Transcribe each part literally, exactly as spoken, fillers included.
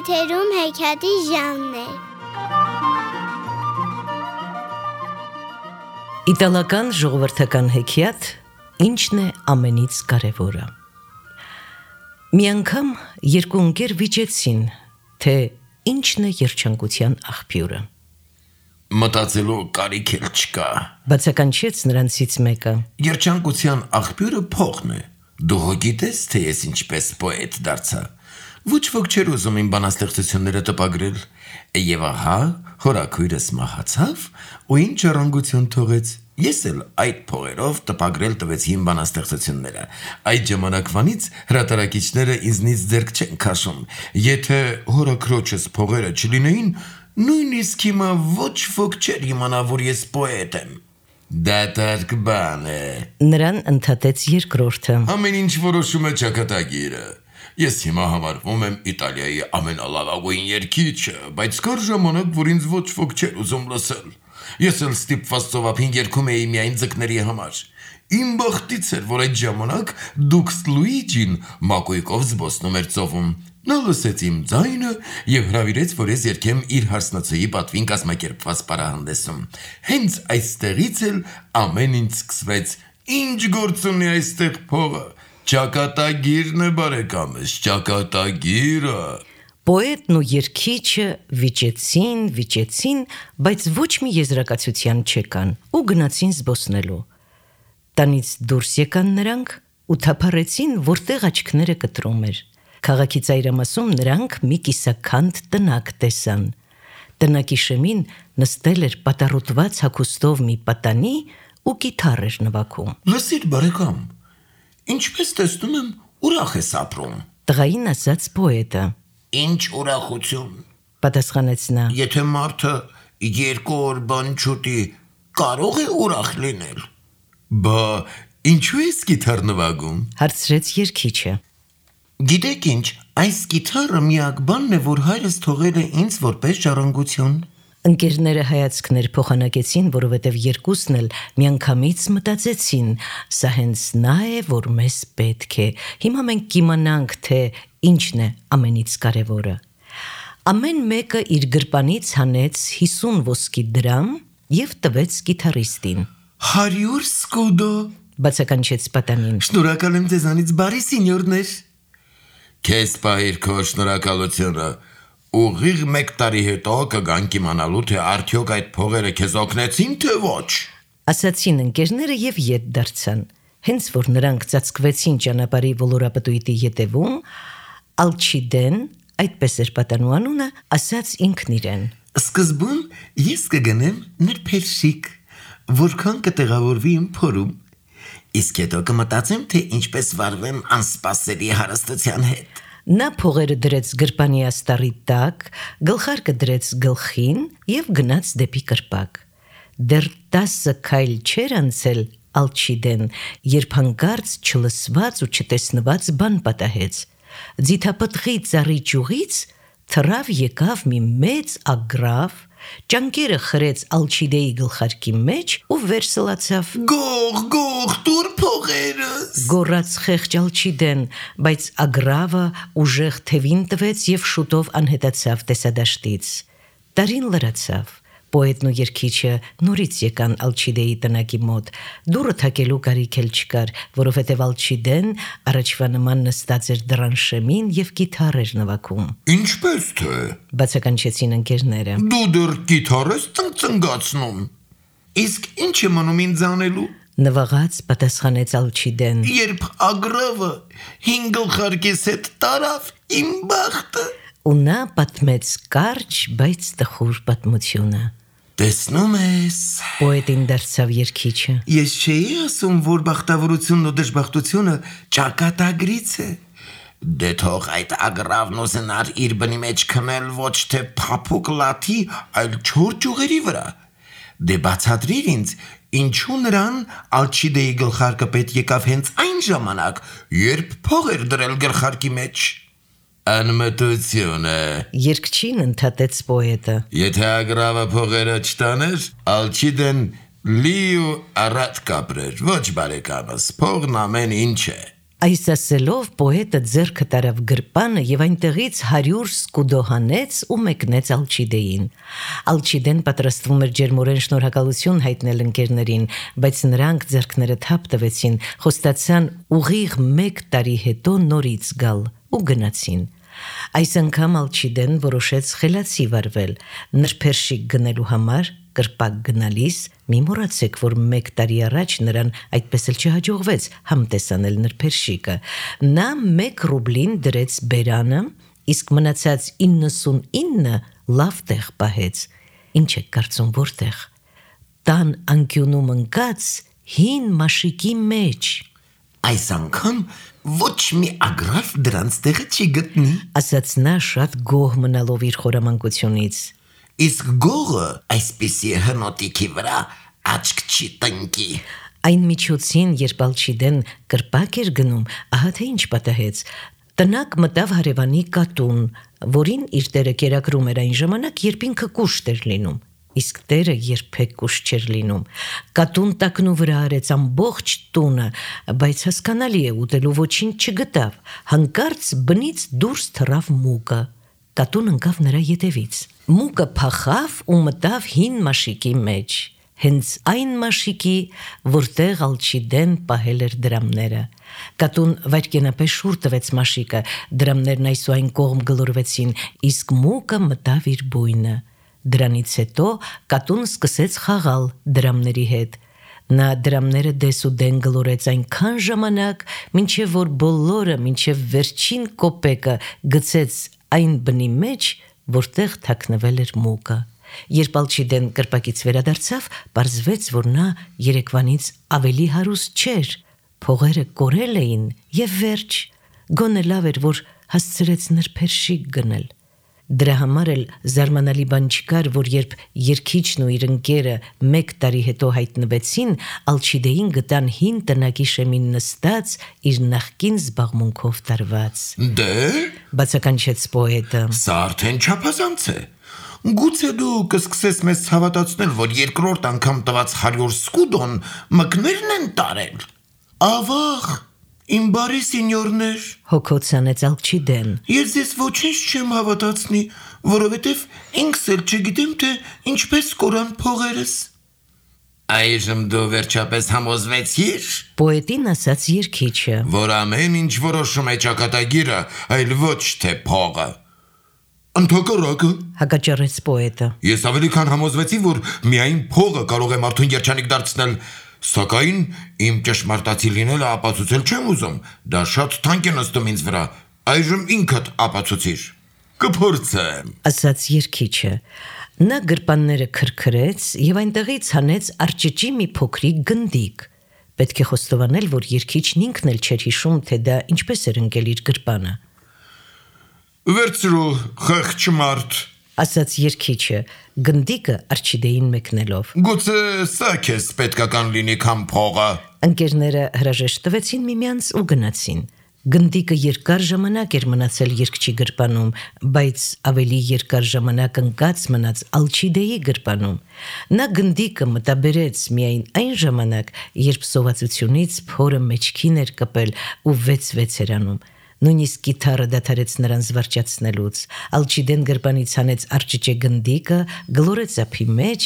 Եթերում հեքիաթի ժամն է։ Իտալական ժողովրդական հեքիաթ «Ինչն է ամենից կարևորը»։ Մի անգամ երկու ընկեր վիճեցին, թե ինչն է երջանկության աղբյուրը։ Մտածելու կարիք էլ չկա, Բացականչեց նրանցից մեկը։ Երջանկության աղբյուրը փողն է։ Դու հո գիտես, թե ես ինչպես պոետ դարձա։ Ոչ ոք չէր ուզում իմ բանաստեղծությունները տպագրել, եւ ահա հորաքույրս մահացավ ու ինչ ժառանգություն թողեց։ Ես էլ այդ փողերով տպագրել տվեցի իմ բանաստեղծությունները։ Այդ ժամանակվանից հրատարակիչները ինձնից ձեռք չեն քաշում։ Եթե հորաքրոջս փողերը չլինեին, նույնիսկ հիմա ոչ ոք չէր իմանա, որ ես պոետ եմ։ Դատարկ բան է։ Նրան ընդհատեց երկրորդը։ Ամեն ինչ որոշում է ճակատագիրը։ Ես հիմա համարվում եմ Իտալիայի ամենալավագույն երգիչը, բայց կար ժամանակ, որ ինձ ոչ ոք չէր ուզում լսել։ Ես էլ ստիպված ծովափին երգում էի միայն ձկների համար։ Իմ բախտից էր, որ այդ ժամանակ Դուքս Լուիջին մակույկով զբոսնում էր ծովում։ Նա լսեց իմ ձայնը եւ հրավիրեց, որ ես երգեմ իր հարսնացուի պատվին կազմակերպված պարահանդեսում։ Հենց այստեղից էլ ամեն ինչ սկսվեց։ Ինչ գործ ունի այստեղ փողը։ Ճակատագիրն է, բարեկամս, ճակատագիրը։ Պոետն ու երգիչը վիճեցին, վիճեցին, բայց ոչ մի եզրակացության չեկան ու գնացին զբոսնելու։ Տանից դուրս եկան նրանք ու թափառեցին, որտեղ աչքները կտրում էր։ Քաղաքի ծայրամասում նրանք մի կիսաքանդ տնակ տեսան։ Տնակի շեմին նստել էր պատառոտված հագուստով մի պատանի ու կիթառ էր նվագում։ Լսիր, բարեկամ, ինչպես տեսնում եմ, ուրախ ես ապրում։ Տղային ասաց պոետը։ Ինչ ուրախություն։ Պատասխանեց նա։ Եթե մարդը երկու օր բան չուտի, կարող է ուրախ լինել։ Բա ինչու ես կիթառ նվագում։ Հարցրեց երգիչը։ Գիտեք ինչ, այս կիթառը միակ բանն է, որ հայրս թողել է ինձ որպես ժառանգություն։ Ընկերները հայացքներ փոխանակեցին, որովհետև երկուսն էլ միանգամից մտածեցին. սա հենց նա է, որ մեզ պետք է։ Հիմա մենք կիմանանք, թե ինչն է ամենից կարևորը։ Ամեն մեկը իր գրպանից հանեց հիսուն ոսկի դրամ եւ տվեց կիթառիստին։ Հարյուր սկուդո, Բացականչեց պատանին։ շնորհակալ եմ ձեզանից, բարի սենյորներ։ Քեզ պահիր քո շնորհակալությունը։ Ուղիղ մեկ տարի հետո կգանք իմանալու, թե արդյոք այդ փողերը քեզ օգնեցին, թե ոչ։ Ասացին ընկերները եւ ետ դարձան։ Հենց որ նրանք ծածկվեցին ճանապարհի ոլորապտույտի ետևում, Ալչիդեն, այդպես էր պատանու անունը, ասաց ինքն իրեն. Սկզբում ես կգնեմ նրբերշիկ, որքան կտեղավորվի իմ փորում։ Իսկ հետո կմտածեմ, թե ինչպես վարվեմ անսպասելի հարստության հետ։ Նա փողերը դրեց գրպանի աստառի տակ, գլխարկը դրեց գլխին եւ գնաց դեպի կրպակ։ Դեռ տասը քայլ չէր անցել Ալչիդեն, երբ հանկարծ չլսված ու չտեսնված բան պատահեց։ Ձիթապտղի ծառի ճյուղից թռավ եկավ մի մեծ ագռավ, ճանկերը խրեց Ալչիդեի գլխարկի մեջ ու վերսլացավ։ Գող, գող, դուր փողերս։ Գոռաց խեղճ Ալչիդեն, բայց ագռավը ուժեղ թևին տվեց եւ շուտով անհետացավ տեսադաշտից։ Տարին լրացավ։ Պոետն ու երգիչը նորից եկան Ալչիդեի տնակի մոտ։ Դուռը թակելու կարիք էլ չկար, որովհետև Ալչիդեն առաջվա նման նստած էր դռան շեմին եւ կիթառ էր նվագում։ Ինչպես թե։ Բացականչեցին ընկերները։ Դու դեռ կիթառ ես ծնծնգացնում։ Իսկ ինչ է մնում ինձ անելու։ Նվաղած պատասխանեց Ալչիդեն։ Երբ ագրավը հինգ գլխարկիս հետ տարավ, իմ բախտը։ Ու նա պատմեց կարճ, բայց տխուր պատմությունը։ Տեսնում ես։ Պոետին դարձավ երգիչը։ Ես չէի ասում, որ բախտավորությունն ու դժբախտությունը ճակատագրից է։ Դե թող այդ ագրավն ուզենար իր բնի մեջ քնել ոչ թե փափուկ լաթի, այլ չոր ճյուղերի վրա։ Դե բացատրիր ինձ, ինչու նրան Ալչիդեի գլխարկը պետք եկավ հենց այն ժամանակ, երբ փող էր դրել գլխարկի մեջ։ Անմտություն է։ Երգչին ընդհատեց պոետը։ Եթե ագրավը փողերը չտաներ, Ալչիդեն լի ու առատ կապրեր, ոչ բարեկամս, փողն ամեն ինչ է։ Այս ասելով պոետը ձեռքը տարավ գրպանը եւ այնտեղից հարյուր սկուդո հանեց ու մեկնեց Ալչիդեին։ Ալչիդեն պատրաստվում էր ջերմորեն շնորհակալություն հայտնել ընկերներին, բայց նրանք ձեռքները թափ տվեցին, խոստացան ուղիղ մեկ տարի հետո նորից գալ ու գնացին։ Այս անգամ Ալչիդեն որոշեց խելացի վարվել, նրբերշիկ գնելու համար կրպակ գնալիս մի մոռացեք, որ մեկ տարի առաջ նրան այդպես էլ չհաջողվեց համտեսանել նրբերշիկը։ Նա մեկ ռուբլին դրեց բերանը, իսկ մնացած իննսունինը լավ տեղ պահեց։ Ինչ եք կարծում որտեղ։ Տան անկյունում ընկած հին մաշիկի մեջ։ Այս անգամ ոչ մի ագրավ դրանց տեղը չի գտնի, ասաց նա շատ գոհ մնալով իր խորամանկությունից։ Իսկ գողը այսպիսի հնոտիքի վրա աչք չի տնկի։ Այն միջոցին, երբ Ալչիդեն կրպակ էր գնում, ահա թե ինչ պատահեց։ Տնակ մտավ հարևանի կատուն, որին իր տերը կերակրում էր այն ժամանակ, երբ ինքը կուշտ էր լինում, իսկ տերը երբեք կուշտ չէր լինում։ Կատուն տակնու վրա արեց ամբողջ տունը, բայց հասկանալի է, ուտելու ոչինչ չգտավ։ Հանկարծ բնից դուրս թռավ մուկը։ Կատուն ընկավ նրա ետևից։ Մուկը փախավ ու մտավ հին մաշիկի մեջ, հենց այն մաշիկի, որտեղ Ալչիդեն պահել էր դրամները։ Կատուն վայրկենապես շուռ տվեց մաշիկը, դրամներն այս ու այն կողմ գլորվեցին, իսկ մուկը մտավ իր բույնը։ Դրանից հետո կատուն սկսեց խաղալ դրամների հետ։ Նա դրամները դես ու դեն գլորեց այնքան ժամանակ, մինչև որ բոլորը, մինչև վերջին կոպեկը գցեց այն բնի մեջ, որտեղ թաքնվել էր մուկը։ Երբ Ալչիդեն կրպակից վերադարձավ, պարզվեց, որ նա երեկվանից ավելի հարուստ չէր։ Փողերը կորել էին եւ վերջ։ Գոնե լավ էր, որ հասցրեց նրբերշիկ գնել։ Դրա համար էլ զարմանալի բան չկար, որ երբ երգիչն ու իր ընկերը մեկ տարի հետո հայտնվեցին, Ալչիդեին գտան հին տնակի շեմին նստած, իր նախկին զբաղմունքով տարված։ Դե, բացականչեց պոետը։ Սա արդեն չափազանց է։ Գուցե դու կսկսես մեզ հավատացնել, որ երկրորդ անգամ տված հարյուր սկուդոն մկներն են տարել։ Ավաղ, իմ բարի սինյորներ, հոգոցանեց Ալչիդեն։ Ես ձեզ ոչինչ չեմ հավատացնի, որովհետև ինքս էլ չգիտեմ, թե ինչպես կորան փողերս։ Այժմ դու վերջապես համոզվեցիր, Պոետին ասաց երգիչը, որ ամեն ինչ որոշում է ճակատագիրը, այլ ոչ թե փողը։ Ընդհակառակը, հակաճառեց պոետը։ ես ավելի քան համոզվեցի, որ միայն փողը կարող է մարդուն երջանիկ դարձնել, սակայն իմ ճշմարտացի լինելը ապացուցել չեմ ուզում, դա շատ թանկ է նստում ինձ վրա, այժմ ինքդ ապացուցիր։ Կփորձեմ, ասաց երգիչը։ Նա գրպանները քրքրեց եւ այնտեղից հանեց արճճի մի փոքրիկ գնդիկ։ Պետք է խոստովանել, որ երգիչն ինքն էլ չէր հիշում, թե դա ինչպես էր ընկել իր գրպանը։ Վերցրու, խեղճ մարդ, ասաց երգիչը, գնդիկը Ալչիդեին մեկնելով։ Գուցե սա քեզ պետքական լինի քան փողը։ Ընկերները հրաժեշտ տվեցին միմյանց ու գնացին։ Գնդիկը երկար ժամանակ էր մնացել երգչի գրպանում, բայց ավելի երկար ժամանակ ընկած մնաց Ալչիդեի գրպանում։ Նա գնդիկը մտաբերեց միայն այն ժամանակ, երբ սովածությունից փորը մեջքին էր կպել ու վեց-վեց էր անում։ Նույնիսկ կիթառը դադարեց նրան զվարճացնելուց։ Ալչիդեն գրպանից հանեց արճճե գնդիկը, գլորեց ափի մեջ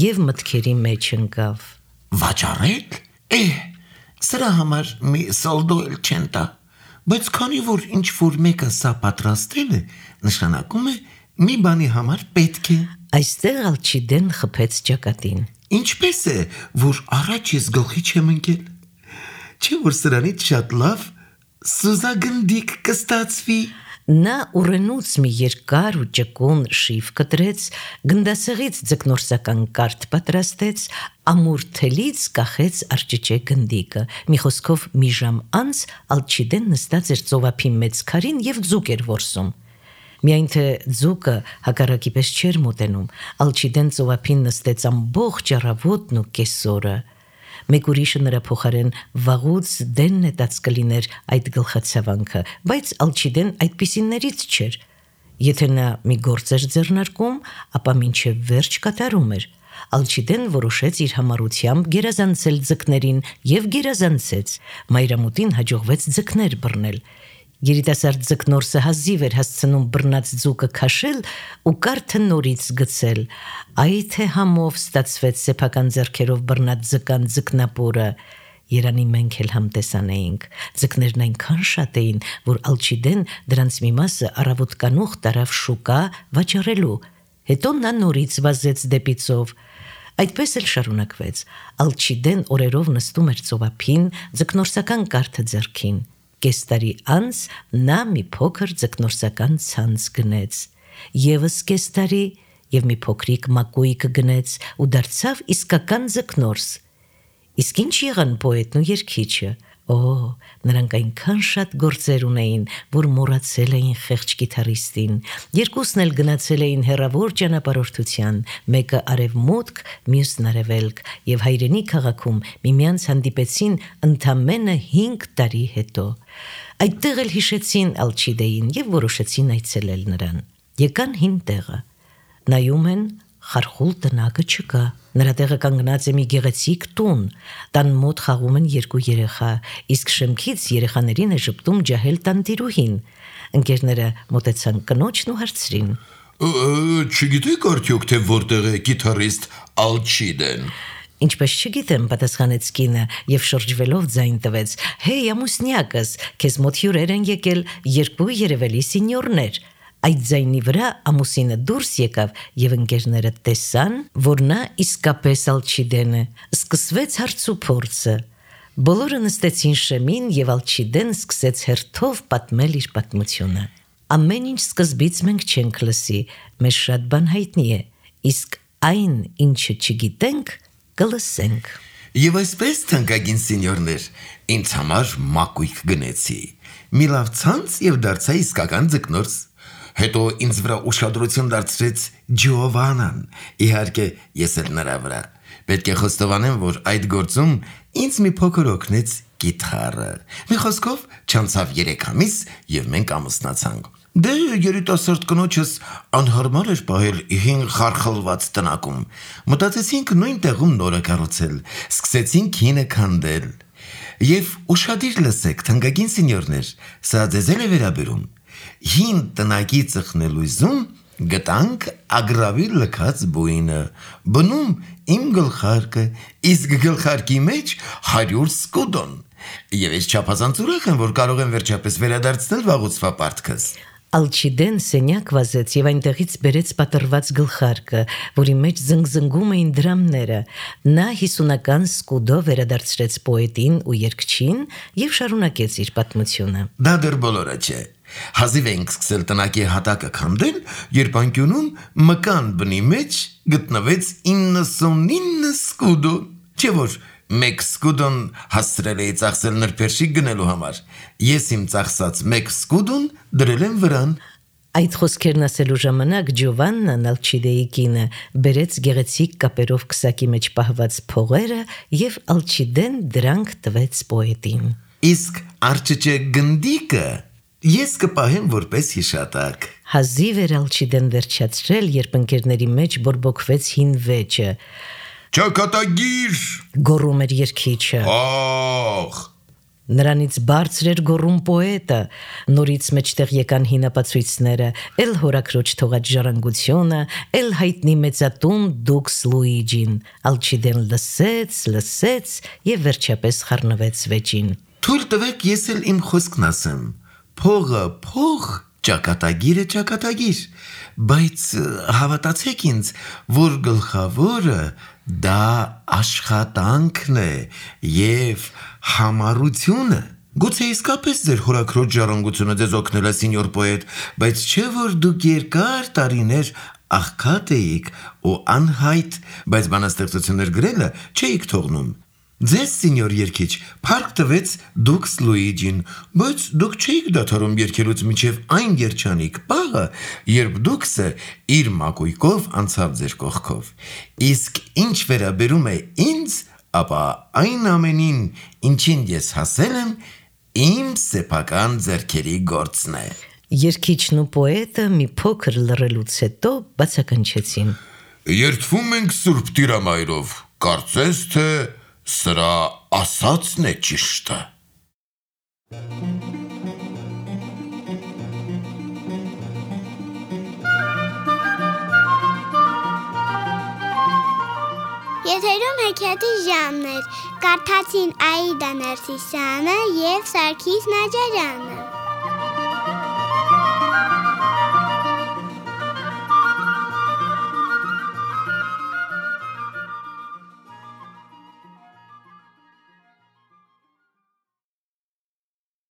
եւ մտքերի մեջ ընկավ։ Վաճառել։ Է, սրա համար մի սալդո էլ չեն տա, բայց քանի որ ինչ որ մեկը սա պատրաստել է, նշանակում է մի բանի համար պետք է։ Այստեղ Ալչիդեն խփեց ճակատին։ Ինչպես է, որ առաջ ես գլխի չեմ ընկել։ Չէ՞ որ սրանից շատ լավ սուզագնդիկ կստացվի։ Նա ուռենուց մի երկար ու ճկուն շիվ կտրեց, գնդասեղից ձկնորսական կարթ պատրաստեց, ամուր թելից կախեց արճճե գնդիկը։ Մի խոսքով մի ժամ անց Ալչիդեն նստած էր ծովափի մեծ քարին եւ ձուկ էր որսում։ Միայն թե ձուկը հակառակի պես չէր մոտենում, Ալչիդեն ծովափին նստեց ամբողջ առավոտն ու կեսօրը։ Մեկ ուրիշը նրա փոխարեն վաղուց դեն նետած կլիներ այդ գլխացավանքը, բայց Ալչիդեն այդպիսիներից չէր։ Եթե նա մի գործ էր ձեռնարկում, ապա մինչև վերջ կատարում էր։ Ալչիդեն որոշեց իր համառությամբ գերազանցել ձկներին և գերազանցեց։ Մայրամուտին հաջողվեց ձկներ բռնել։ Երիտասարդ ձկնորսը հազիվ էր հասցնում բռնած ձուկը քաշել ու կարթը նորից գցել։ Այ թե համով ստացվեց սեփական ձեռքերով բռնած ձկան ձկնապորը։ Երանի մենք էլ համտեսան էինք։ Ձկներն այնքան շատ էին, որ Ալչիդեն դրանց մի մասը առավոտ կանուխ տարավ շուկա վաճառելու։ Հետո նա նորից վազեց դեպի ծով։ Այդպես էլ շարունակվեց։ Ալչիդեն օրերով նստում էր ծովափին, ձկնորսական կարթը ձեռքին։ Կես տարի անց նա մի փոքր ձկնորսական ցանց գնեց։ Եվս կես տարի և մի փոքրիկ մակույկ գնեց ու դարձավ իսկական ձկնորս։ Իսկ ինչ եղան պոետն ու երգիչը։ Օ, նրանք այնքան շատ գործեր ունեին, որ մոռացել էին խեղճ կիթառիստին։ Երկուսն էլ գնացել էին հեռավոր ճանապարհորդության, մեկը արևմուտք, մյուսն արևելք, և հայրենի քաղաքում միմյանց հանդիպեցին ընդամենը հինգ տարի հետո։ Այդտեղ էլ հիշեցին Ալչիդեին և որոշեցին այցելել նրան։ Եկան հին տեղը։ Նայում են, խարխուլ տնակը չկա։ Նրա տեղը կանգնած է մի գեղեցիկ տուն։ Տան մոտ խաղում են երկու երեխա, իսկ շեմքից երեխաներին է ժպտում ջահել տանտիրուհին։ Ընկերները մոտեցան կնոջն ու հարցրին. Չգիտեք արդյոք, թե որտեղ է կիթառիստ Ալչիդեն։ Ինչպես չգիտեմ, պատասխանեց կինը և շրջվելով ձայն տվեց. Հեյ, ամուսնյակս, քեզ մոտ հյուրեր են եկել երկու երևելի սինյորներ։ Այդ ձայնի վրա ամուսինը դուրս եկավ և ընկերները տեսան, որ նա իսկապես Ալչիդեն է։ Սկսվեց հարցուփորձը։ Բոլորը նստեցին շեմին և Ալչիդեն սկսեց հերթով պատմել իր պատմությունը։ Ամեն ինչ սկզբից մենք չենք լսի, մեզ շատ բան հայտնի է, իսկ այն, ինչը չգիտենք, կլսենք։ Եվ այսպես, թանկագին սինյորներ, ինձ համար մակույկ գնեցի։ Մի լավ ցանց և դարձա իսկական ձկնորս։ Հետո ինձ վրա ուշադրություն դարձրեց Ջովանան, իհարկե ես էլ նրա վրա։ Պետք է խոստովանեմ, որ այդ գործում ինձ մի փոքր օգնեց կիթառը։ Մի խոսքով չանցավ երեք ամիս և մենք ամուսնացանք։ Դե երիտասարդ կնոջս անհարմար էր պահել հին խարխլված տնակում։ Մտածեցինք նույն տեղում նորը կառուցել, սկսեցինք հինը քանդել։ Եվ ուշադիր լսեք, թանկագին սինյորներ, սա ձեզ էլ է վերաբերում։ Հին տնակի ծխնելույզում գտանք ագրավի լքած բույնը, բնում իմ գլխարկը, իսկ գլխարկի մեջ հարյուր սկուդոն։ Եվ ես չափազանց ուրախ եմ, որ կարող եմ վերջապես վերադարձնել վաղուցվա պարտքս։ Ալչիդեն սենյակ վազեց և այնտեղից բերեց պատռված գլխարկը, որի մեջ զնգզնգում էին դրամները։ Նա հիսունական սկուդով վերադարձրեց պոետին ու երգչին և շարունակեց իր պատմությունը։ Դա դեռ բոլորը չէ։ Հազիվ էինք սկսել տնակի հատակը քանդել, երբ անկյունում մկան բնի մեջ գտնվեց իննսունինը սկուդո, չէ՞ որ մեկ սկուդոն հասցրել էի ծախսել նրբերշիկ գնելու համար։ Ես իմ ծախսած մեկ սկուդոն դրել եմ վրան։ Այդ խոսքերն ասելու ժամանակ Ջովաննան, Ալչիդեի կինը, բերեց գեղեցիկ կապերով քսակի մեջ պահված փողերը և Ալչիդեն դրանք տվեց պոետին։ Իսկ արջճե գնդիկը ես կպահեմ որպես հիշատակ։ Հազիվ էր Ալչիդեն վերջացրել, երբ ընկերների մեջ բորբոքվեց հին վեճը։ Ճակատագիր, գոռում էր երգիչը։ Ախ, Նրանից բարձր էր գոռում պոետը։ Նորից մեջտեղ եկան հին ապացույցները, էլ հորաքրոջ թողած ժառանգությունը, էլ հայտնի մեծատուն Դուքս Լուիջին։ Ալչիդեն լսեց, լսեց և վերջապես խառնվեց վեճին։ Թույլ տվեք ես էլ իմ խոսքն ասեմ։ Փողը փող, ճակատագիրը ճակատագիր, բայց հավատացեք ինձ, որ գլխավորը դա աշխատանքն է և համառությունը։ Գուցե իսկապես ձեր հորաքրոջ ժառանգությունը ձեզ օգնել է, սինյոր պոետ, բայց չէ որ դուք երկար տարիներ աղքատ էիք ու անհայտ, բայց բանաստեղծություններ գրելը չէիք թողնում։ Ձեզ, սինյոր երգիչ, փառք տվեց Դուքս Լուիջին, բայց դուք չէիք դադարում երգելուց մինչև այն երջանիկ պահը, երբ Դուքսը իր մակույկով անցավ ձեր կողքով։ Իսկ ինչ վերաբերում է ինձ, ապա այն ամենին, ինչին ես հասել եմ, իմ սեփական ձեռքերի գործն է։ Երգիչն ու պոետը մի փոքր լռելուց հետո բացականչեցին. Երդվում ենք Սուրբ Տիրամայրով, կարծես թե սրա ասածն է ճիշտը։ Եթերում հեքիաթի ժամն էր, կարդացին Աիդա Ներսիսյանը և Սարգիս Նաջարյանը։